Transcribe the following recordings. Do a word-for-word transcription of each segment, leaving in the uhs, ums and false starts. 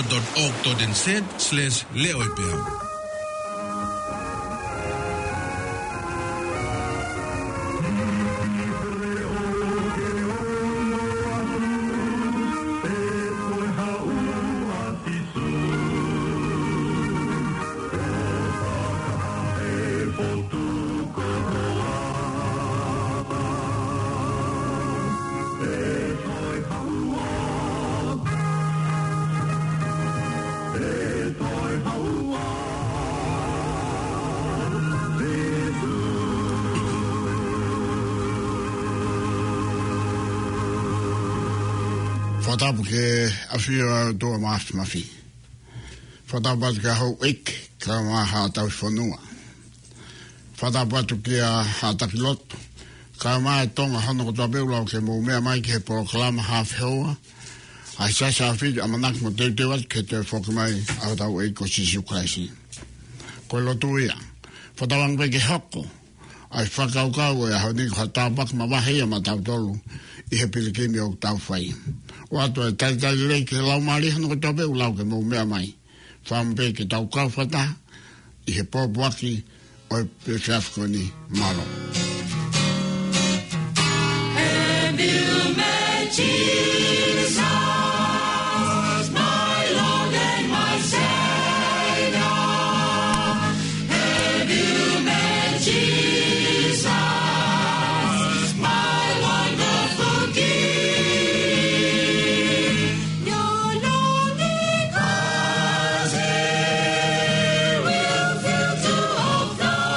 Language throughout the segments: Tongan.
dot org dot N Z slash leʻoepeau. Fakatapu ki he ʻafio ʻa e ʻOtua Mafimafi. Fakatapu atu ki he houʻeiki, kae ʻumaʻā haʻa tauhi fonua. Fakatapu atu ki he haʻa taki lotu, kae ʻumaʻā e Tonga hono kotoa pē ʻoku lau ke mou meʻa mai ki he polokalama Haafe Houa ʻa e Siasi ʻAfio ʻAmanaki mo teuteu atu ki he toe foki mai ʻa hotau ʻEiki ko Sīsū Kalaisi. Ko e lotu ia. Fakatauange pē ke hoko ʻa e fakakaukau ʻo e ʻaho ni ko ha tāpuaki mavahe ia maʻa tautolu ʻi he pilikimi ʻoku tau fai. ʻOatu e talitali lelei ki he Laumālie hono kotoa pē ʻoku lau ke mou meʻa mai. Fakaʻamu pē ke tau kau fakataha ʻi he pōpoaki ʻo e efiafi ko eni. Mālō. Have you met Jesus, my Lord and my Savior? Have you met Jesus, my wonderful King? Your longing heart will fill to overflowing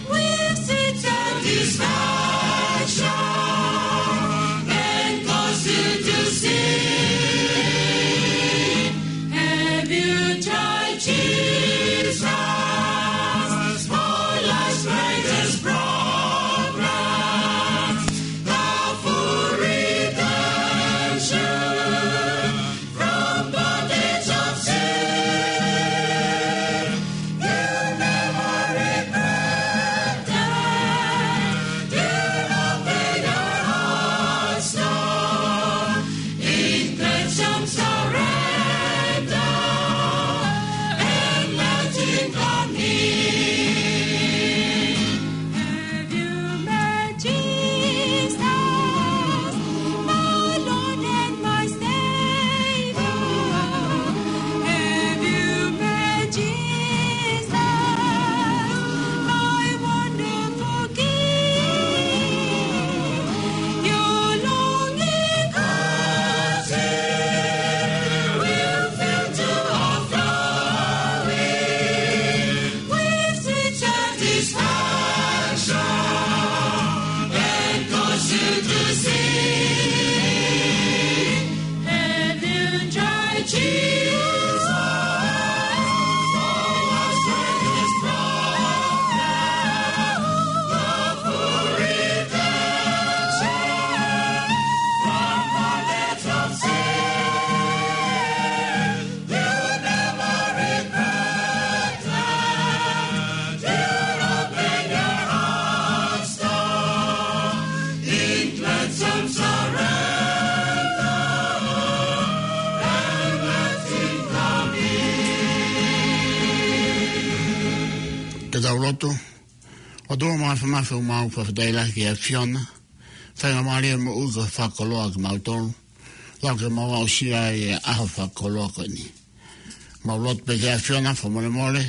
with sweet satisfaction and cause you to sing. Have you tried Jesus for life's greatest problem? Love for redemption from bondage of sin. You never regret that. You open your hearts, Lord, in grateful surrender, and let Him come in. Have you met Jesus, my Lord and my Savior? Have you met Jesus, my wonderful King? Your longing heart will fill to overflowing with sweet satisfaction and cause you to sing. Have you tried Jesus? For us greatest problem, love for redemption from bondage of sin. You never regret that. You open your hearts, Lord, in gladsome surrender, and let Him come in. Ke tau lotu. ʻOtua Mafimafi, ʻoku mau fakafetaʻi lahi ki he ʻAfiona. Faingamālie moʻui kuo fakakoloa kimautolu, lau ke mau aʻusia ʻa e ʻaho fakakoloa ko eni. Mau lotu pē ki he ʻAfiona, fakamolemole.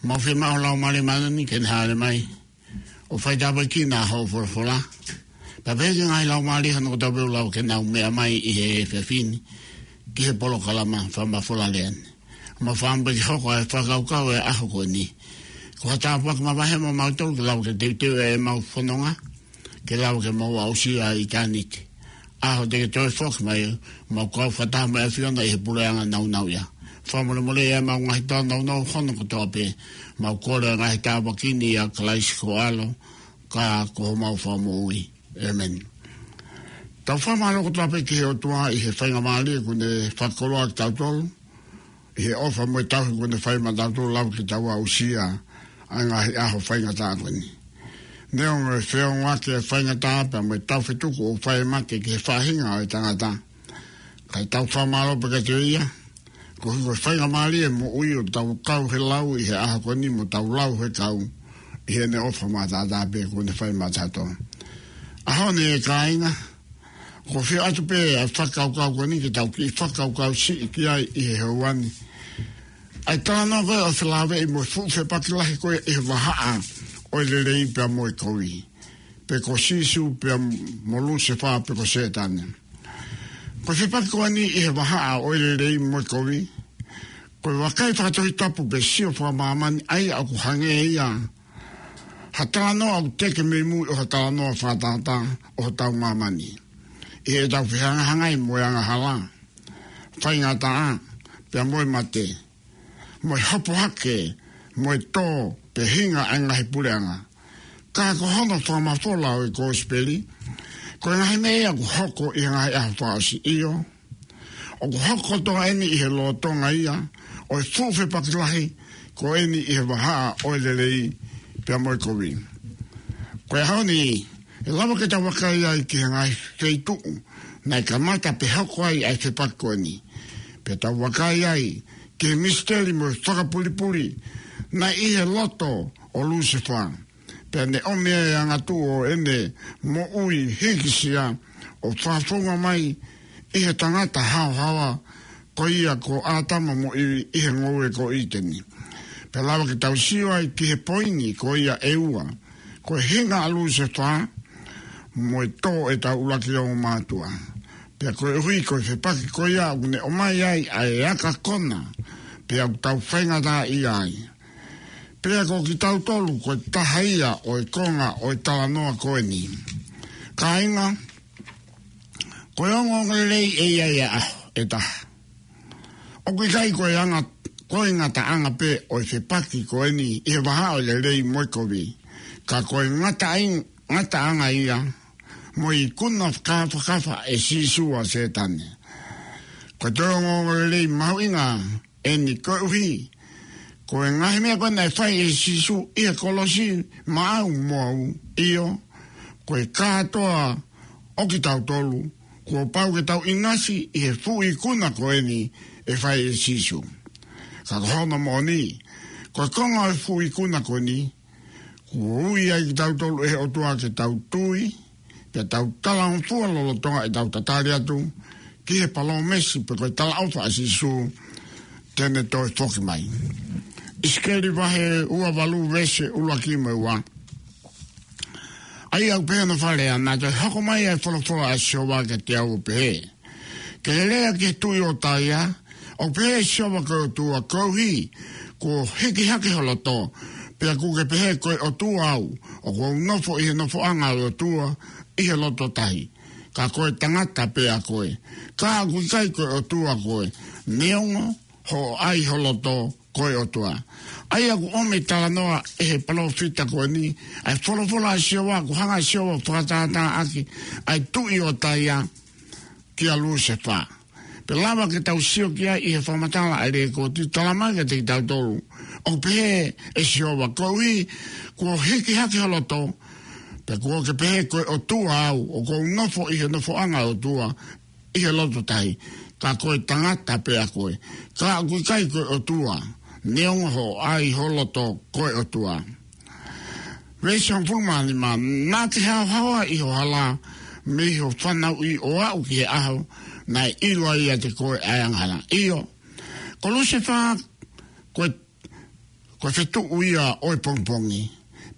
Mau fiemaʻu ho Laumālie Māʻoniʻoni ke ne hāʻele mai ʻo faitāpuekina hoʻo folofola. Pea pehē ki he ngaahi laumālie hono kotoa pē ʻoku lau ke nau meʻa mai ʻi he efiafi ni ki he polokalama fakamafola lea ni. Mau fakaʻamu pē ke hoko ʻa e fakakaukau ʻo e ʻaho ko eni ko ha tāpuaki mavahe maʻa mautolu, ke lau ke teuteu ʻemau fononga, ke lau ke mau aʻusia ʻa ʻitāniti. ʻAho te ke toe foki mai, mau kau fakataha mo e ʻAfiona ʻi he puleʻanga nāunauʻia. Fakamolemole ʻemau ngaahi tōnounou hono kotoa pē, mau kole ʻa e ngaahi tāpuaki ni ʻia Kalaisi ko ho ʻAlo, ka ko homau Fakamoʻui. ʻĒmeni. Tau fakamālō kotoa pē ki he ʻOtua ʻi he faingamālie kuo ne fakakoloa kitautolu, ʻi he ʻofa mo e tauhi kuo ne fai maʻatautolu, lau ke tau aʻusia ʻa e ngaahi ʻaho faingataʻa ko eni. Neongo e feongoʻaki ʻa e faingataʻa pea mo e taufetuku ʻoku fai ʻe make ki he faʻahinga ʻo e tangata, Kae tau fakamālō pē kiate ia, koeʻuhi ko e faingamālie e moʻui ʻo tau kau he lau ʻi he ʻaho ko eni mo tau lau he kau ʻi heʻene ʻofa mataʻatā pē kuo ne fai maʻatautolu. ʻAho ni ʻe kāinga, ʻoku ou fie ʻoatu pē ʻa e fakakaukau ko eni ke tau kiʻi fakakaukau siʻi ki ai ʻi he houa ni. ʻA e talanoa ko ē ʻoku felāveʻi mo e fuʻu fepaki lahi ko ē ʻi he vahaʻa ʻo e lelei pea mo e kovi. Pe ko Sīsū pea mo Lusefā pe ko Sētane. Ko e fepaki ko eni ʻi he vahaʻa ʻo e lelei mo e kovi, ko e vakai fakatohitapu pe sio fakamāmani ʻa ia ʻoku hangē ia ha talanoa ʻoku teke mei mui ʻo ha talanoa fakatātā ʻo hotau māmani. ʻI heʻetau fehangahangai mo e angahala, faingataʻa, pea mo e mate, mo e hopo hake, mo e tō, pe hinga ʻa e ngaahi puleʻanga. Ka ko hono fakamafola ʻo e Kosipeli, ko e ngaahi meʻa ia ʻoku hoko ʻi he ngaahi ʻaho fakaʻosi, ʻio, ʻoku hoko kotoa eni ʻi he lolotonga ia ʻo e fuʻu fepaki lahi ko eni ʻi he vahaʻa ʻo e lelei pea mo e kovi. Ko e ʻaho ni, ʻe lava ke tau vakai ai ki he ngaahi feituʻu naʻe kamata pe hoko ai ʻa e fepaki ko eni. Pea tau vakai ai ki he misiteli mo e fakapulipuli naʻe ʻi he loto ʻo Lusefā. Pea ne ʻomi e angatuʻu ʻo ʻene moʻui hikisia ʻo fakafounga mai ʻi he tangata haohaoa ko ia ko ʻĀtama mo ʻIvi ʻi he ngoue ko ʻĪteni. Pea lava ke tau sio ai ki he poini ko ia ʻe ua, ko e hinga ʻa Lusefā mo e tō ʻetau ʻuluaki ongo mātuʻa. Pea koeʻuhi ko e fepaki ko ia ʻoku ne ʻomai ai ʻa e aka kona, pea ʻoku tau faingataʻaʻia ai. Pea ko kitautolu ko e taha ia ʻo e konga ʻo e talanoa ko eni. Kāinga, ko e ongoongolelei ʻe ʻi ai ʻa e ʻaho ʻe taha. ʻOku ʻikai ko e anga, ko e ngataʻanga pē ʻo e fepaki ko eni ʻi he vahaʻa ʻo e lelei mo e kovi, ka ko e ngataʻaing-, ngataʻanga ia mo e ikuna fakafakafa ʻe Sīsū ʻa Sētane. Ko e toe ongoongolelei mahuʻinga eni koeʻuhi ko e ngaahi meʻa ko ē naʻe fai ʻe Sīsū ʻi he kolosi maʻau mo au, ʻio, ko e kātoa ʻo kitautolu, kuo pau ke tau ʻinasi ʻi he fuʻu ikuna ko eni ʻe fai ʻe Sīsū. Ka ko hono moʻoni, ko e konga ʻo e fuʻu ikuna ko eni, kuo ui ai kitautolu ʻe he ʻOtua ke tau tui, pea tau talangofua lolotonga ʻetau tatali atu ki he palōmesi pe ko e talaʻofa ʻa Sīsū te ne toe foki mai. ʻIsikeli vahe ua valu veesi ʻuluaki mo e ua. ʻA ia ʻoku pehē hono fakalea: Naʻe toe hoko mai ʻa e folofola ʻa Sihova kiate au ʻo pehē, ke lea ki he tuʻi ʻo Taia, ʻoku pehē ʻe Sihova ko e ʻOtua, koeʻuhi kuo hiki hake ho loto, pea kuo ke pehē, ko e ʻOtua au, ʻoku ou nofo ʻi he nofoʻanga ʻo e ʻOtua ʻi he loto tahi, ka ko e tangata pē ʻa koe, ka ʻoku ʻikai ko e ʻOtua koe, neongo hoʻo ʻai ho loto ko e ʻOtua. ʻA ia ʻoku ʻomi e talanoa ʻe he palōfita ko eni ʻa e folofola ʻa Sihova, ʻoku hanga ʻe Sihova ʻo fakatātāʻaki ʻa e tuʻi ʻo Taia kia Lusefā. Pea lava ke tau sio ki ai ʻi he fakamatala ʻa e lekooti, talamai kiate kitautolu, ʻoku pehē ʻe Sihova, koeʻuhi kuo hiki hake ho loto, pea kuo ke pehē, ko e ʻOtua au, ʻoku ou nofo ʻi he nofoʻanga ʻo e ʻOtua ʻi he loto tahi, ka ko e tangata pē ʻa koe, ka ʻoku ʻikai ko e ʻOtua, neongo hoʻo ʻai ho loto ko e ʻOtua. Veesi hongofulu mā nima: Naʻa ke haohaoa ʻi ho hala mei ho fanauʻi ʻo aʻu ki he ʻaho naʻe ʻilo ai ʻiate koe ʻa e angahala. ʻIo, ko Lusefā, ko e, ko e fetuʻu ia ʻo e pongipongi.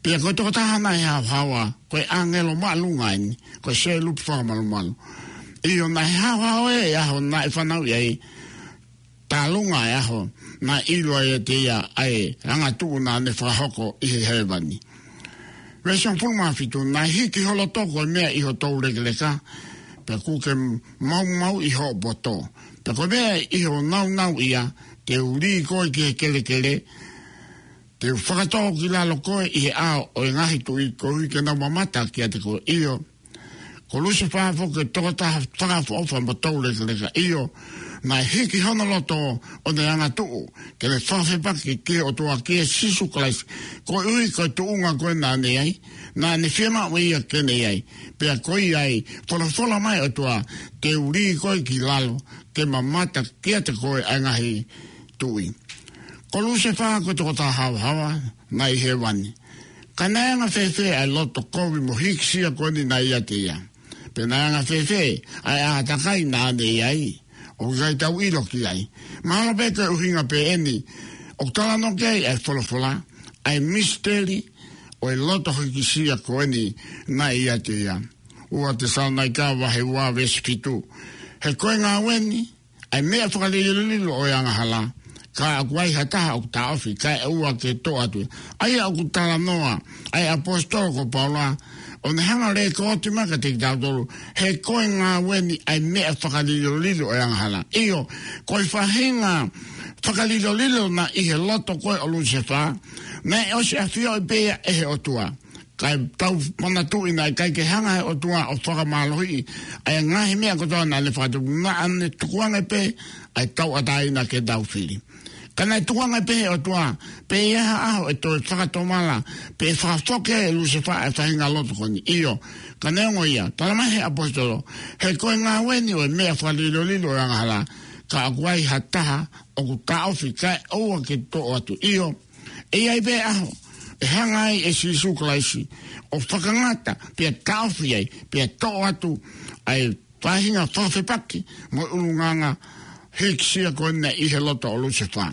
Pea ko e tokotaha naʻe haohaoa, ko e ʻāngelo māʻolunga eni, ko e selupi fakamalumalu. ʻIo, naʻe haohaoa e ʻaho naʻe fanauʻi ai, tālunga e ʻaho naʻe ʻilo ai ʻiate ia ʻa e angatuʻu naʻa ne fakahoko ʻi he hēvani. Veesi hongofulu mā fitu: Naʻe hiki ho loto ko e meʻa ʻi ho toulekeleka, pea kuo ke maumauʻi hoʻo poto. Pea ko e meʻa ʻi ho naunauʻia, te u lī koe ki he kelekele, te u fakatō ki lalo koe ʻi he ʻao ʻo e ngaahi tuʻi, koeʻuhi ke nau mamata kiate koe. ʻIo, ko Lusefā foki ko e tokotaha fakaʻofoʻofa mo toulekeleka. ʻIo, naʻe hiki hono loto ʻo ne angatuʻu ke ne fakafepaki ki he ʻOtua, kia Sīsū Kalaisi, koeʻuhi ko e tuʻunga ko ē naʻa ne ʻi ai, naʻa ne fiemaʻu ʻe ia ke ne ʻi ai. Pea ko ia ai, folofola mai ʻOtua, te u lī koe ki lalo, ke mamata kiate koe ʻa e ngaahi tuʻi. Ko Lusefā ko e tokotaha haohaoa naʻe ʻi hēvani. Ka naʻe anga fēfē ʻa e loto kovi mo hīkisia ko eni naʻe ʻiate ia? Pe naʻe anga fēfē ʻa e ʻātakai naʻa ne ʻi ai? ʻOku ʻikai tau ʻilo ki ai. Mahalo pē ko e ʻuhinga pē eni ʻoku talanoa ki ai ʻa e folofola, ʻa e misiteli ʻo e loto hīkisia ko eni naʻe ʻiate ia. Ua Tesalonaika vahe ua veesi fitu. He ko e ngāue ni ʻa e meʻa fakalilolilo ʻo e angahala, ka ʻoku ai ha taha ʻoku taʻofi kae ʻoua ke toʻo atu. ʻA ia ʻoku talanoa ʻa e ʻaposetolo ko Paula, ʻo ne hanga ʻo lekooti mai kiate kitautolu, he ko e ngāue ni ʻa e meʻa fakalilolilo ʻo e angahala. ʻIo, ko e faʻahinga fakalilolilo naʻe ʻi he loto ko ē ʻo Lusefā, naʻe ʻosi ʻafioʻi pē ia ʻe he ʻOtua. Kae tau manatuʻi naʻe ʻikai ke hanga ʻe he ʻOtua ʻo fakamālohiʻi ʻa e ngaahi meʻa kotoa naʻa ne fakatupu, naʻa ne tukuange pē ʻa e tauʻatāina ke tau fili. Ka naʻe tukuange pē ʻe he ʻOtua, pe ʻe ʻi ai ha ʻaho ʻe toe fakatomala, pe fakafoki ʻe Lusefā ʻa e faʻahinga loto ko eni. ʻIo, ka neongo ia, talamai ʻe he ʻaposetolo, he ko e ngāue ni ʻo e meʻa fakalilolilo ʻo e angahala, ka ʻoku ai ha taha ʻoku taʻofi kae ʻoua ke toʻo atu. ʻIo, ʻe ʻi ai pē ʻaho ʻe hanga ai ʻe Sīsū Kalaisi ʻo fakangata, pea taʻofi ai, pea toʻo atu ʻa e faʻahinga fakafepaki mo e ʻulungaanga hīkisia ko eni naʻe ʻi he loto ʻo Lusefā.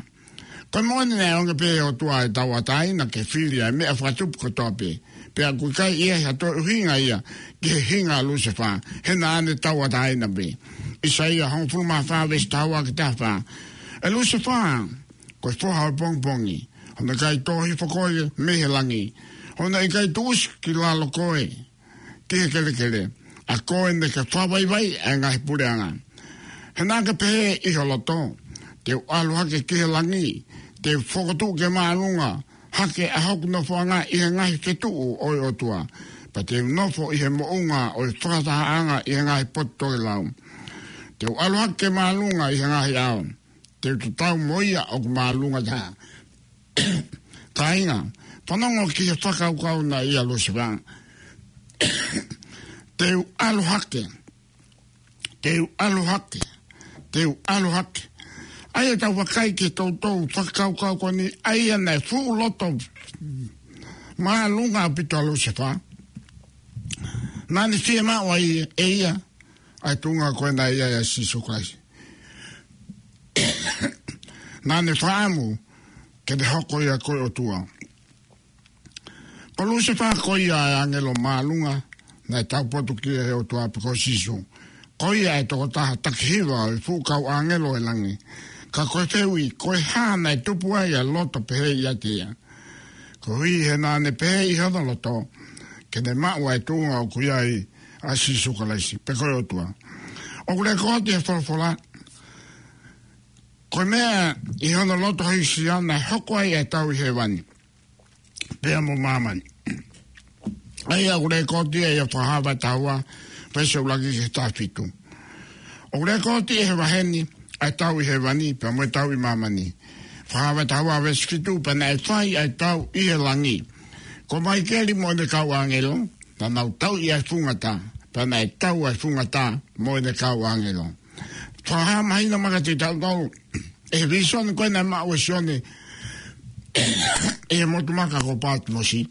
Ko e moʻoni naʻe ʻoange pē ʻe he ʻOtua ʻa e tauʻatāina ke fili ʻa e meʻa fakatupu kotoa pē, pea ʻoku ʻikai ʻi ai ha toe ʻuhinga ia ki he hinga ʻo Lusefā, he naʻa ne tauʻatāina pē. ʻAisea hongofulu mā fā veesi taha ua ki he taha fā. ʻE Lusefā, ko e foha ʻo e pongipongi, hono ʻikai tō hifo koe mei he langi, hono ʻikai tuʻusi ki lalo koe ki he kelekele, ʻa koe naʻa ke fakavaivaiʻi ʻa e ngaahi puleʻanga. He naʻa ke pehē ʻi ho loto, te u ʻalu hake ki he langi, te u fokotuʻu ke māʻolunga hake ʻa hoku nofoʻanga ʻi he ngaahi fetuʻu ʻo e ʻOtua, pea te u nofo ʻi he moʻunga ʻo e fakatahaʻanga ʻi he ngaahi potu tokelau. Te u ʻalu hake ke māʻolunga ʻi he ngaahi ʻao, te u tatau mo ia ʻoku māʻolunga taha. Kāinga, fanongo ki he fakakaukau naʻe ʻia Lusefā. Te u ʻalu hake, te u ʻalu hake, te u ʻalu hake. ʻA ia tau vakai ki he toutou fakakaukau ko eni, ʻa ia naʻe fuʻu loto māʻolunga ʻaupito ʻa Lusefā. Naʻa ne fiemaʻu ai ʻe ia ʻa e tuʻunga ko ē naʻe ʻia Sīsū Kalaisi. Naʻa ne fakaʻamu ke ne hoko ia ko e ʻotua. Ko Lusefā ko ia ʻa e ʻāngelo māʻolunga naʻe taupotu ki ai ʻe he ʻOtua, pe ko Sīsū. Ko ia ʻa e tokotaha taki hiva ʻo e fuʻu kau ʻāngelo ʻo e langi. Ka ko e fehuʻi, ko e hā naʻe tupu ai ʻa e loto pehē ʻiate ia? Koeʻuhi he naʻa ne pehē ʻi hono loto ke ne maʻu ʻa e tuʻunga ʻoku ʻi ai ʻa Sīsū Kalaisi, pe ko e ʻOtua. ʻOku lekooti ʻi he folofola, ko e meʻa ʻi hono loto hīkisia naʻe hoko ai ʻa e tau ʻi hēvani pea mo māmani. ʻA ia ʻoku lekooti ia ʻi he Fakahā vahe taha ua, veesi ʻuluaki ki he taha fitu. ʻOku lekooti ʻi he vahe ni ʻa e tau ʻi hēvani pea mo e tau ʻi māmani. Fakahā vahe taha ua veesi fitu, pea naʻe fai ʻa e tau ʻi he langi. Ko Maikeli mo ʻene kau ʻāngelo, naʻa nau tauʻi ʻa e funga tā, pea naʻe tau ʻa e funga tā mo ʻene kau ʻāngelo. Fakahā mahino mai kiate kitautolu ʻe he vīsone ko ē naʻe maʻu ʻe Sione ʻi he motu maka ko Pātimosi.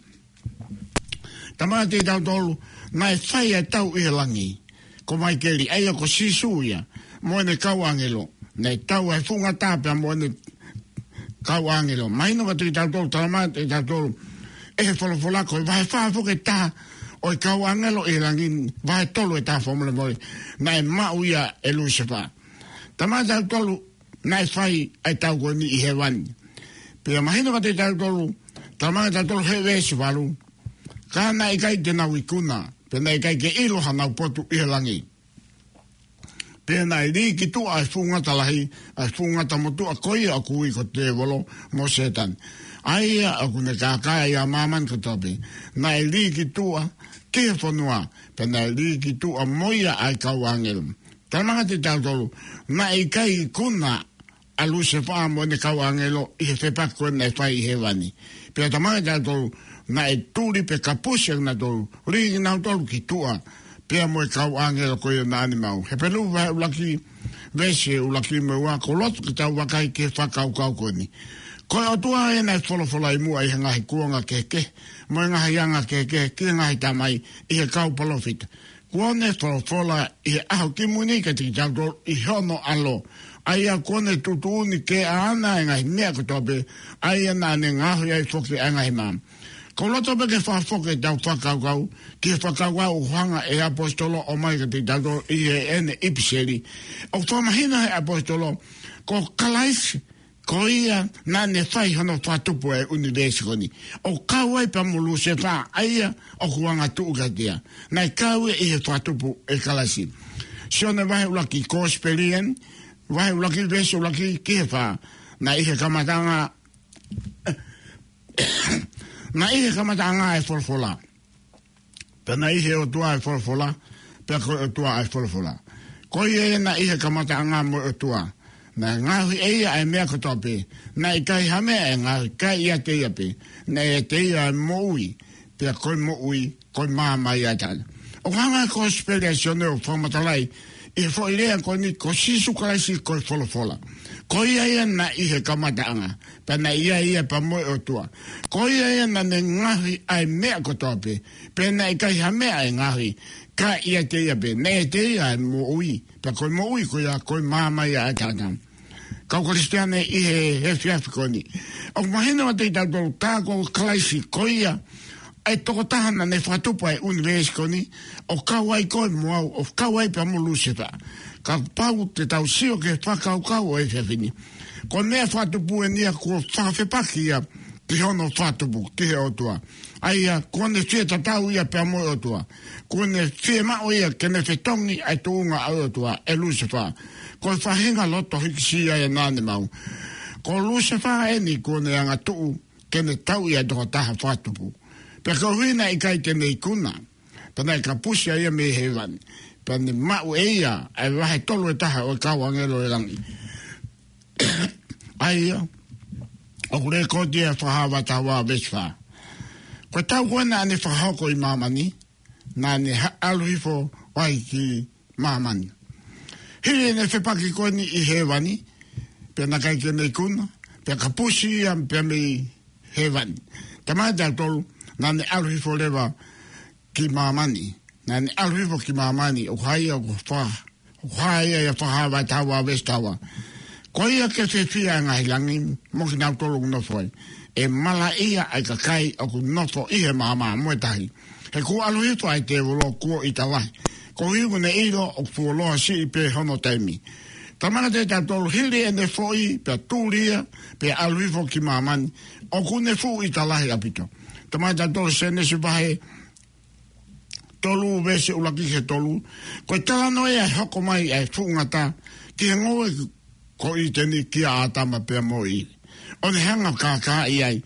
Talamai kiate kitautolu naʻe fai ʻa e tau ʻi he langi. Ko Maikeli, ʻa ia ko Sīsū ia, mo ʻene kau ʻāngelo. Naʻe tau ʻa e funga tā pea mo ʻene kau ʻāngelo. Mahino kiate kitautolu, talamai kiate kitautolu ʻe he folofola, ko e vahe fā foki ʻe taha ʻo e kau ʻāngelo ʻi he langi, vahe tolu ʻe taha, fakamolemole, naʻe maʻu ia ʻe Lusefā. Talamai kiate kitautolu naʻe fai ʻa e tau ko eni ʻi hēvani. Pea mahino kiate kitautolu, talamai kiate kitautolu he veesi valu, ka naʻe ʻikai te nau ikuna, pea naʻe ʻikai ke ʻilo hanau potu ʻi he langi. Pea naʻe lī ki tuʻa ʻa e fuʻu ngata lahi, ʻa e fuʻu ngata motuʻa ko ia ʻoku ui ko e tēvolo mo Sētane, ʻa ia ʻoku ne kākaaʻi ʻa māmani kotoa pē. Naʻe lī ki tuʻa ki he fonua, pea naʻe lī ki tuʻa mo ia ʻa e kau ʻāngelo. Talamai kiate kitautolu naʻe ʻikai ikuna ʻa Lusefā mo ʻene kau ʻāngelo ʻi he fepaki ko ē naʻe fai ʻi hēvani. Pea talamai kiate kitautolu naʻe tuli pe kapusi ʻa kinautolu, lī kinautolu ki tuʻa, pea mo e kau ʻāngelo ko ia naʻa ne maʻu. Hepelū vahe ʻuluaki, veesi ʻuluaki mo e ua, ʻoku ou loto ke tau vakai ki he fakakaukau ko eni. Ko e ʻOtua ʻa ia naʻe folofola ʻi muʻa ʻi he ngaahi kuonga kehekehe, mo e ngaahi anga kehekehe, ki he ngaahi tamai, ʻi he kau palōfita. Kuo ne folofola ʻi he ʻaho kimui ni kiate kitautolu ʻi hono ʻAlo. ʻA ia kuo ne tuʻutuʻuni ke ʻaʻana e ngaahi meʻa kotoa pē, ʻa ia naʻa ne ngaohi ai foki ʻa e ngaahi maama. ʻOku ou loto pē ke fakafoki ʻetau fakakaukau, ki he fakakaukau ʻoku hanga ʻe he ʻaposetolo ʻo ʻomai kiate kitautolu ʻi heʻene ʻipiseli. ʻOku fakamahino ʻe he ʻaposetolo, ko Kalaisi, ko ia naʻa ne fai hono fakatupu e ʻunivēsi ko eni. ʻOku kau ai pea mo Lusefā, ʻa ia ʻoku angatuʻu kiate ia. Naʻe kau ia ʻi he fakatupu ʻe Kalaisi. Sione vahe ʻuluaki, Kosipeli eni, vahe ʻuluaki, veesi ʻuluaki ki he fā. Naʻe ʻi he kamataʻanga, naʻe ʻi he kamataʻanga e folofola. Pea naʻe ʻi he ʻOtua e folofola, pea ko e ʻOtua e folofola. Ko ia ia naʻe ʻi he kamataʻanga mo e ʻOtua. Naʻe ngaohi ʻe ia ʻa e meʻa kotoa pē. Naʻe ʻikai ha meʻa ʻe ngaohi, ka ʻiate ia pē. Naʻe ʻiate ia e moʻui, pea ko e moʻui, ko e maama ia ʻa e tangata. ʻOku hanga ʻe he Kosipeli ʻa Sione ʻo fakamatalaʻi ʻi he foʻi lea ko eni ko Sīsū Kalaisi ko e folofola. Ko ia ia naʻe ʻi he kamataʻanga, pea naʻe ʻi ai ia pea mo e ʻOtua. Ko ia ia naʻa ne ngaohi ʻa e meʻa kotoa pē, pea naʻe ʻikai ha meʻa ʻe ngaohi, ka ʻiate ia pē. Naʻe ʻiate ia e moʻui, pea ko e moʻui ko ia, ko e maama ia ʻa e tangata. Kau Kalisitiane ʻi he, he efiafi ko eni. ʻOku mahino atu kiate kitautolu tā ko Kalaisi ko ia, ʻa e tokotaha naʻa ne fakatupu ʻa e ʻunivēsi ko eni, ʻoku kau ai koe mo au, ʻoku kau ai pea mo Lusefā. Kapau te tau sio ki he fakakaukau ʻo e efiafi ni. Ko e meʻa fakatupu eni ia kuo fakafepaki ia ki hono fakatupu, ki he ʻOtua. ʻA ia, kuo ne fie tatau ia pea mo e ʻOtua. Kuo ne fiemaʻu ia ke ne fetongi ʻa e tuʻunga ʻo e ʻOtua, ʻe Lusefā. Ko e faʻahinga loto hīkisia ia naʻa ne maʻu. Ko Lusefā eni kuo ne angatuʻu ke ne tauʻi ʻa e tokotaha fakatupu. Pea koeʻuhi naʻe ʻikai te ne ikuna, pea naʻe kapusi ʻa ia mei hēvani. Pea ne maʻu ʻe ia ʻa e vahe tolu ʻe taha ʻo e kau ʻāngelo ʻo e langi. ʻA ia, ʻoku lēkooti ʻi he Fakahā vahe taha ua veesi fā. Ko e taʻu ko ē naʻa ne fakahoko ʻi māmani, naʻa ne ha-, ʻalu hifo ai ki māmani. Hili ʻene fepaki ko eni ʻi hēvani, pea naʻe ʻikai ke ne ikuna, pea kapusi ia pea mei hēvani. Talamai kiate kitautolu, naʻa ne ʻalu hifo leva ki māmani. Naʻa ne ʻalu hifo ki māmani, ʻoku hā ia, ʻoku fa-, ʻoku hā ia ʻi he Fakahā vahe taha ua veesi taha ua. Ko ia ke fiefia ʻa e ngaahi langi, mo kinautolu ʻoku nofo ai. ʻE malaʻia ʻa e kakai ʻoku nofo ʻi he maama mo e tahi. He kuo ʻalu hifo ʻa e tēvolo kuo ʻita lahi. Koeʻuhi kuo ne ʻilo ʻoku fuoloa siʻi pē hono taimi. Talamai kiate kitautolu hili ʻene foʻi, pea tuli ia, pea ʻalu hifo ki māmani. ʻOku ne fuʻu ʻita lahi ʻaupito. Talamai kiate kitautolu Sēnesi vahe tolu veesi ʻuluaki ki he tolu. Ko e talanoa ia ʻa e hoko mai ʻa e fuʻu ngata ki he ngoue ko ʻĪteni kia ʻĀtama pea mo ʻIvi. ʻO ne hanga ʻo kākaaʻi ai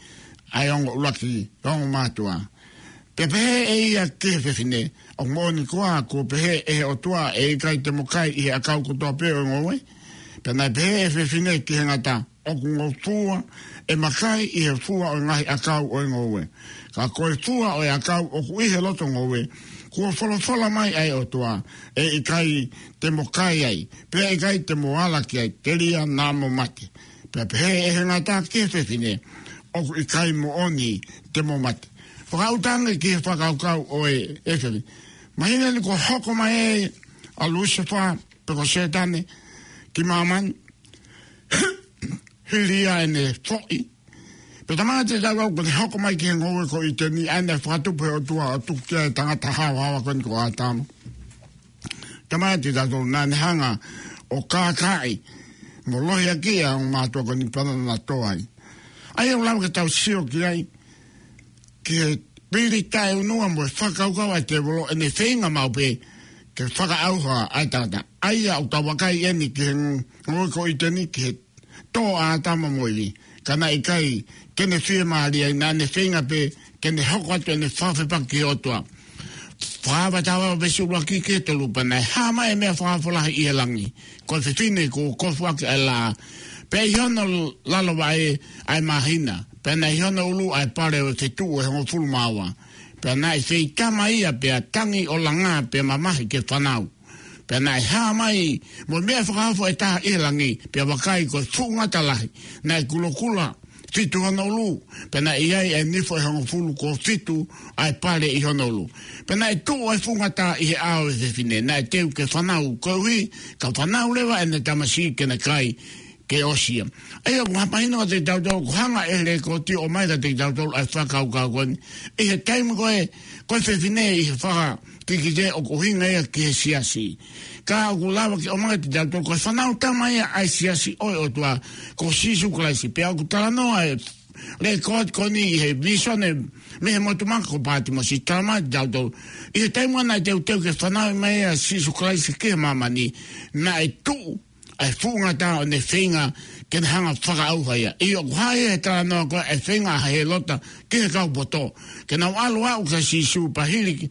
ʻa e ongo ʻuluaki, ongo mātuʻa. Pea pehē ʻe ia ki he fefine, ʻOku moʻoni koā kuo pehē ʻe he ʻOtua ʻe ʻikai te mo kai ʻi he ʻakau kotoa pē ʻo e ngoue? Pea naʻe pehē ʻe he fefine ki he ngata, ʻOku ngofua ʻema kai ʻi he fua ʻo e ngaahi ʻakau ʻo e ngoue. Ka ko e fua ʻo e ʻakau ʻoku ʻi he loto ngoue, kuo folofola mai ʻa e ʻOtua, ʻE ʻikai te mo kai ai, pea ʻikai te mo ala ki ai, telia naʻa mo mate. Pea pehē ʻe he ngata ki he fefine, ʻOku ʻikai moʻoni te mo mate. Fakaʻuta ange ki he fakakaukau ʻo e, e fefine. Mahino eni kuo hoko mai ʻa Lusefā, pe ko Sētane, ki māmani, hili ia ʻene foʻi. Pea talamai kiate kitautolu kuo ne hoko mai ki he ngoue ko ʻĪteni, ʻa ia naʻe fakatupu ʻe he ʻOtua ʻo tuku ki ai e tangata haohaoa ko eni ko ʻĀtama. Talamai kiate kitautolu naʻa ne hanga ʻo kākaaʻi mo lohiakiʻi ʻa e ongo mātuʻa ko eni pea naʻa na tō ai. ʻA ia ʻoku lava ke tau sio ki ai, ki he pili taʻeʻunua mo e fakakaukau ʻa e tēvolo ʻene feinga maʻu pē ke fakaʻauha ʻa e tangata. ʻA ia ʻoku tau vakai eni ki he ngoue ko ʻĪteni ki he tō ʻa ʻĀtama mo ʻIvi. Ka naʻe ʻikai ke ne fiemālie ai, naʻa ne feinga pē ke ne hoko atu ʻene fakafepaki ki he ʻOtua. Fakahā vahe taha ua veesi ʻuluaki ki he tolu, pea naʻe hā mai e meʻa fakaofo lahi ʻi he langi. Ko e fefine kuo kofuʻaki ʻa e laʻā. Pea ʻi hono lalo vaʻe ʻa e māhina. Pea naʻe ʻi hono ʻulu ʻa e pale ʻo e fetuʻu ʻe hongofulu mā ua. Pea naʻe feitama ia pea tangi ʻo langā pea mamahi ke fanau. Pea naʻe hā mai mo e meʻa fakaofo ʻe taha ʻi he langi, pea vakai, ko e fuʻu ngata lahi, naʻe kulokula fitu hono ʻulu, pea naʻe ʻi ai ʻa e nifo ʻe hongofulu kuo fitu ʻa e pale ʻi hono ʻulu. Pea naʻe tuʻu ʻa e fuʻu ngata ʻi he ʻao ʻo e fefine, naʻe teu ke fanau, koeʻuhi ka fanau leva ʻene tamasiʻi ke ne kai ke ʻosi ia. ʻA ia ʻoku mahino kiate kitautolu, ʻoku hanga ʻe he lekooti ʻo ʻomai kiate kitautolu ʻa e fakakaukau ko eni. ʻI he taimi ko ē, ko e fefine ʻi he fakakikite ʻoku ʻuhinga ia ki he siasi. Ka ʻoku lava ke ʻomai kiate kitautolu, ko e fānau tama ia ʻa e siasi ʻo e ʻOtua, ko Sīsū Kalaisi. Pea ʻoku talanoa ʻa e lekooti ko eni ʻi he vīsone mei he motu maka ko Pātimosi, talamai kiate kitautolu, ʻi he taimi naʻe teuteu ke fanauʻi mai ʻa Sīsū Kalaisi ki he māmani, naʻe tuʻu ʻa e fuʻu ngata ʻo ne feinga ke ne hanga fakaʻauha ia. ʻIo, ʻoku hā ia he talanoa ko ē ʻa e feinga ʻa Hēlota ki he kau poto ke nau ʻalu ʻo aʻu kia Sīsū pea hili,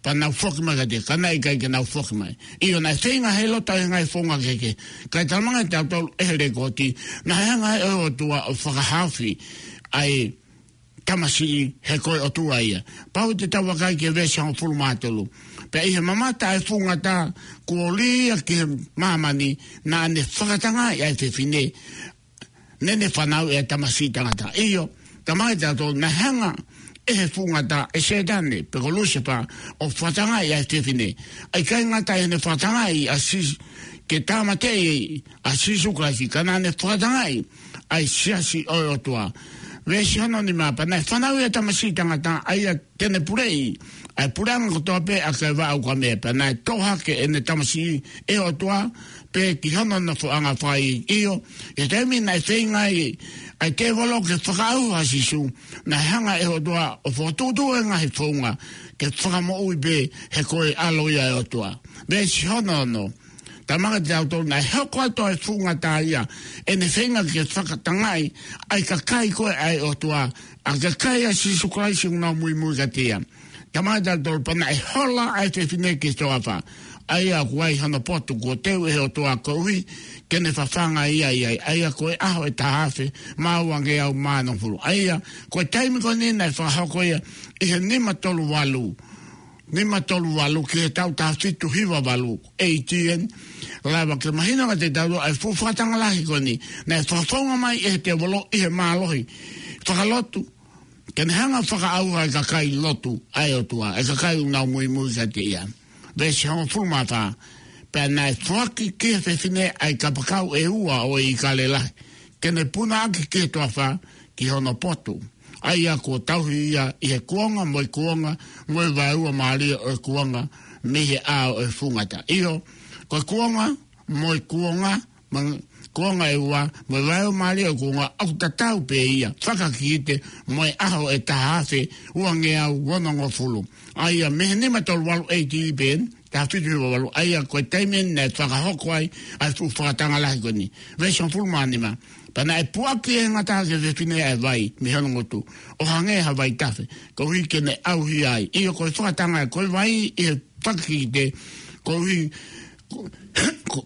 pea nau foki mai kiate ia, ka naʻe ʻikai ke nau foki mai. ʻIo, naʻe feinga ʻa Hēlota ʻi he ngaahi founga kehekehe. Ka ʻoku talamai kiate kitautolu ʻe he lekooti, naʻe hanga ʻe he ʻOtua ʻo fakahaofi ʻa e tamasiʻi he ko e ʻOtua ia. Pau te tau vakai ki he veesi hongofulu mā tolu. Pea ʻi he mamata ʻa e fuʻu ngata kuo lī ia ki he māmani, naʻa ne fakatangaʻi ʻa e fefine, ne ne fanauʻi ʻa e tamasiʻi tangata. ʻIo, talamai kiate kitautolu, naʻe hanga ʻe he fuʻu ngata, ʻe Sētane, pe ko Lusifa, ʻo fakatangaʻi ʻa e fefine. ʻIkai ngata ʻi heʻene fakatangaʻi ʻa Sīsū, ke tāmateʻi ʻa Sīsū Kalaisi, ka naʻa ne fakatangaʻi ʻa e siasi ʻo e ʻOtua. Veesi hono nima, pea naʻe fanauʻi ʻa e tamasiʻi tangata, ʻa ia te ne puleʻi ʻa e puleʻanga kotoa pē ʻa e vaʻa ukamea. Pea naʻe toʻo hake ʻene tamasiʻi ʻe he ʻOtua, pea ki hono nofoʻanga fai. ʻIo, ʻi he taimi naʻe feinga ai ʻa e tēvolo ke fakaʻauha ʻa Sīsū, naʻe hanga ʻe he ʻOtua ʻo fokotuʻutuʻu e ngaahi founga ke fakamoʻui pē he ko e ʻAlo ia ʻo e ʻOtua. Veesi hono ono. Talamai kiate kitautolu, naʻe hoko atu ʻa e fuʻu ngata ia ʻene feinga ke fakatangaʻi ʻa e kakai ko ē ʻa e ʻOtua, ʻa e kakai ʻa Sīsū Kalaisi ʻoku nau muimui kiate ia. Talamai kiate kitautolu, pea naʻe hola ʻa e fefine ki he toafa, ʻa ia ʻoku ʻi ai hono potu kuo teu ʻe he ʻOtua koeʻuhi ke ne fafanga ia ʻi ai, ʻa ia ko e ʻaho ʻe taha afe mā uangeau mā nofulu. ʻA ia, ko e taimi ko eni naʻe fakahoko ia ʻi he nima tolu valu, nima tolu valu ki he taʻu taha fitu hiva valu, A D, lava ke mahino kiate kitautolu ʻa e fuʻu fakatanga lahi ko eni, naʻe fakafounga mai ʻe he tēvolo ʻi he mālohi fakalotu, ke ne hanga fakaʻauha ʻa e kakai lotu ʻa e ʻOtua, ʻa e kakai ʻoku nau muimui kiate ia. Veesi hongofulu mā fā, pea naʻe foaki ki he fefine ʻa e kapakau ʻe ua ʻo e ʻīkale lahi, ke ne punaʻaki ki he toafa ki hono potu, ʻa ia kuo tauhi ia ʻi he kuonga mo e kuonga, mo e vaeua mālie ʻo e kuonga, mei he ʻao ʻo e fuʻu ngata. ʻIo, ko e kuonga mo e kuonga, mo e kuonga ʻe ua, mo e vaeua mālie ʻo e kuonga, ʻoku tatau pē ia, fakakikite mo e ʻaho ʻe taha afe uangeau onongofulu. ʻA ia mei he nima tolu valu A D pē, taha fitu hiva valu, ʻa ia ko e taimi eni naʻe fakahoko ai ʻa e fuʻu fakatanga lahi ko eni. Veesi hongofulu mā nima. Pea naʻe puʻaki ʻe he ngata ki he fefine ʻa e vai mei hono ngutu, ʻo hangē ha vaitafe, koeʻuhi ke ne ʻauhia ai. ʻIo, ko e fakatanga, ko e vai ʻi he fakakikite, koeʻuhi ko, ko,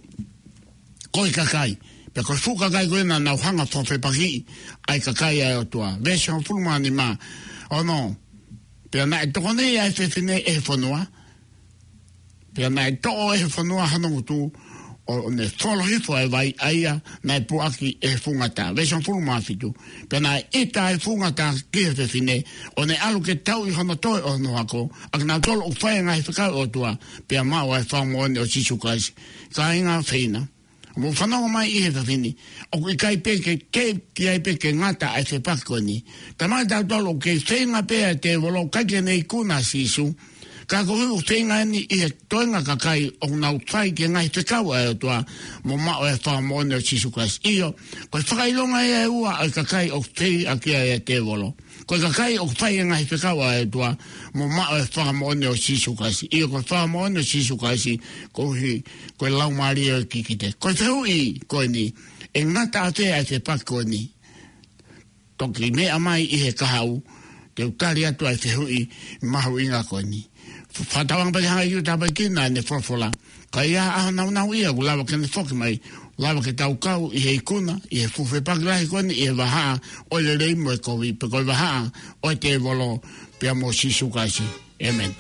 ko e kakai. Pea ko e fuʻu kakai ko ē naʻa nau hanga fakafepakiʻi ʻa e kakai ʻa e ʻOtua. Veesi hongofulu mā nima. Ono. Pea naʻe tokoniʻi ʻa e fefine ʻe he fonua, pea naʻe toʻo ʻe he fonua hono ngutu, ʻo ne folo hifo ʻa e vai ʻa ia naʻe puʻaki ʻe he fuʻu ngata. Veesi hongofulu mā fitu. Pea naʻe ʻita ʻa e fuʻu ngata ki he fefine, ʻo ne ʻalu ke tauʻi hono toe ʻo hono hako, ʻa kinautolu ʻoku fai e ngaahi fekau ʻa e ʻOtua, pea maʻu ʻa e fakamoʻoni ʻo Sīsū Kalaisi. Kāinga, feina, mou fanongo mai ʻi he efiafi ni. ʻOku ʻikai pē ke, ke, ʻikai pē ke ngata ʻa e fepaki ko eni. Talamai kiate kitautolu ʻoku kei feinga pē ʻa e tēvolo ʻikai ke ne ikuna ʻa Sīsū. Ka ko e feinga eni ʻi he toenga kakai ʻoku nau fai ki he ngaahi fekau ʻa e ʻOtua, mo maʻu e fakamoʻoni ʻo Sīsū Kalaisi. ʻIo, ko e fakaʻilonga ia ʻe ua ʻo e kakai ʻoku feinga ki ai ʻa e tēvolo. Ko e kakai ʻoku fai e ngaahi fekau ʻa e ʻOtua, mo maʻu e fakamoʻoni ʻo Sīsū Kalaisi. ʻIo, ko e fakamoʻoni ʻo Sīsū Kalaisi, koeʻuhi ko e laumālie ʻo e kikite. Ko e fehuʻi ko eni, ʻe ngata ʻafē ʻa e fepaki ko eni? Toki meʻa mai ʻi he kahaʻu, te u tali atu ʻa e fehuʻi mahuʻinga ko eni. Fakatauange pē ke hanga ʻe Siu ʻo tāpuekina ʻene folofola. Ka ʻi ai ha ʻaho nāunauʻia ʻoku lava ke ne foki mai, lava ke tau kau ʻi he ikuna, ʻi he fuʻu fepaki lahi ko eni, ʻi he vahaʻa ʻo e lelei mo e kovi, pe ko e vahaʻa ʻo e tēvolo pea mo Sīsū Kalaisi. ʻĒmeni.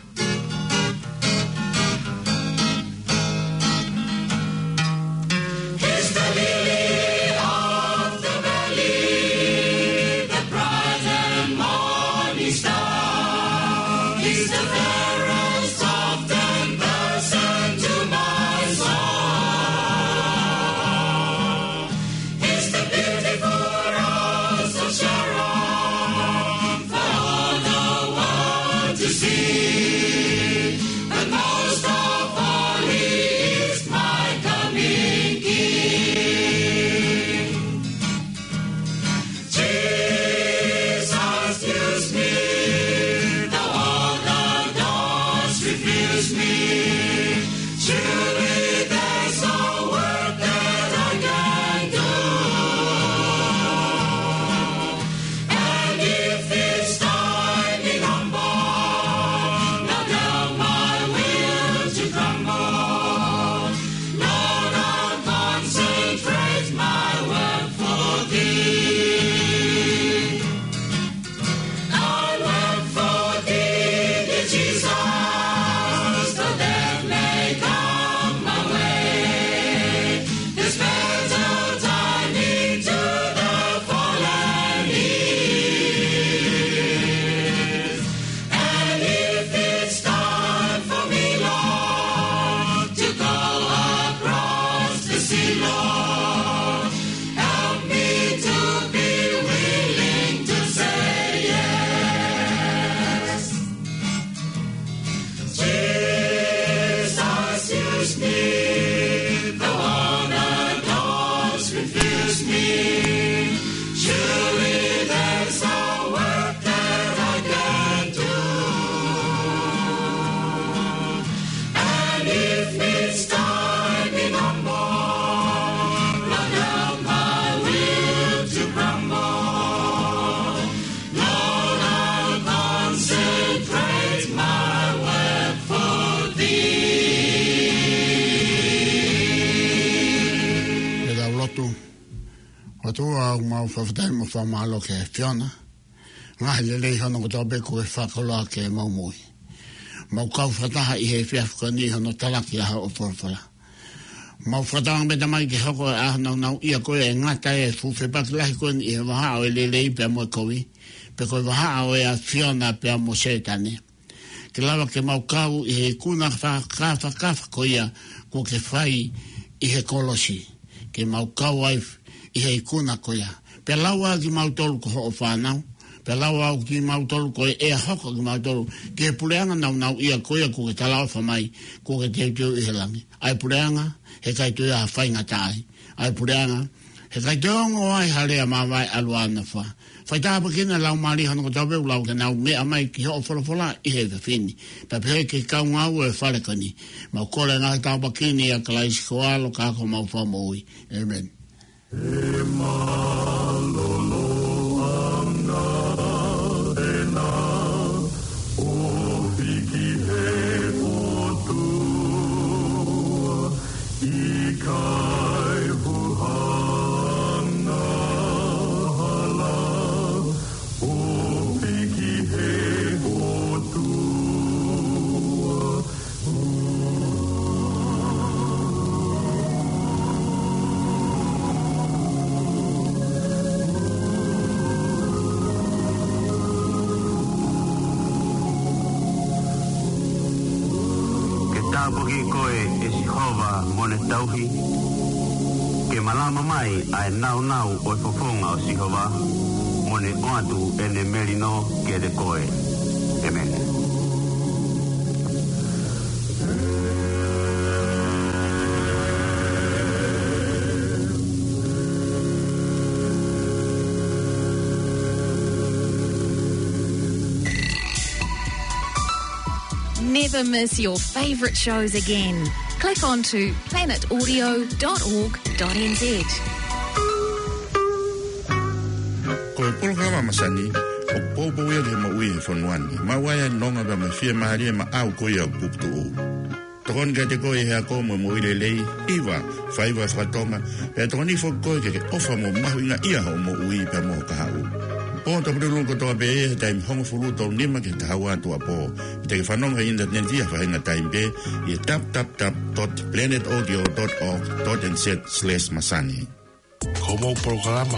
Surely there's a work that I can do. And if it's time in a more, Lord, help my will to grumble. Lord, I'll consecrate my work for thee. Ke tau lotu. ʻOtua, ʻoku mau fakafetaʻi mo fakamālō ki he ʻAfiona. Ngaahi lelei hono kotoa pē kuo ke fakakoloa ke mau moʻui. Mau kau fakataha ʻi he efiafi ko eni hono talaki ʻa hoʻo folofola. Mau fakatauange pē Tamai ke hoko ʻa e ʻaho nāunauʻia ko ia ʻe ngata ai e fuʻu fepaki lahi ko eni ʻi he vahaʻa ʻo e lelei pea mo e kovi, pe ko e vahaʻa ʻo e ʻAfiona pea mo Sētane. Ke lava ke mau kau ʻi he ikuna fakakafakafa ko ia kuo ke fai ʻi he kolosi. Ke mau kau ai ʻi he ikuna ko ia. Pea lau ʻa kimautolu ko hoʻo fānau. Pea lau ʻa kimautolu ko e ʻea hoko ʻa kimautolu ki he puleʻanga nāunauʻia ko ia kuo ke talaʻofa mai, kuo ke teuteu ʻi he langi. ʻA e puleʻanga, heʻikai toe ʻi ai ha faingataʻa ai. ʻA e puleʻanga, heʻikai toe ongo ai ha lea māvae ʻalu ʻa nofo. Fai tāpuekina e laumālie hono kotoa pē ʻoku nau meʻa mai ki hoʻo folofola ʻi he efiafi ni. Pea pehē ki he kau ngāue ʻo e fale ko eni. Mau kole ngaahi tāpuaki ni ʻia Kalaisi ko ho ʻAlo ka ko homau Fakamoʻui. ʻĒmeni. ʻE mālōlō ange ʻena ʻofi ki he ʻOtua, ʻikai fuʻu angahala ʻofi ki he ʻOtua. Ke tāpuaki koe ʻe Sihova mo ne tauhi. Ke malama mai ʻa e nāunau ʻo e fofonga ʻo Sihova, mo ne ʻoatu ʻene melino kiate koe. ʻĒmeni. Never miss your favourite shows again. Click on to planet audio dot org dot N Z. Ko e polokalama masani, ʻoku poupou ia ki he moʻui he fonua ni. Maʻu ai ʻa e nonga pea mo e fiemālie maʻau ko ia ʻoku puputuʻu. Tokoni kiate koe ʻi he ako mo e moʻui lelei, hiva, faiva faka-Tonga, pea tokoni foki koe ke ke ʻofa mo mahuʻingaʻia hoʻo moʻui pea mo ho kahaʻu. Pō tapu lulu kotoa pē he taimi hongofulu tolu nima ki he taha ua tuʻuapō. Te ke fanongo he ʻinitaneti ʻi ha faʻahinga taimi pē ʻi he dot dot dot planet audio dot org dot N Z slash masani. Ko hoʻomou polokalama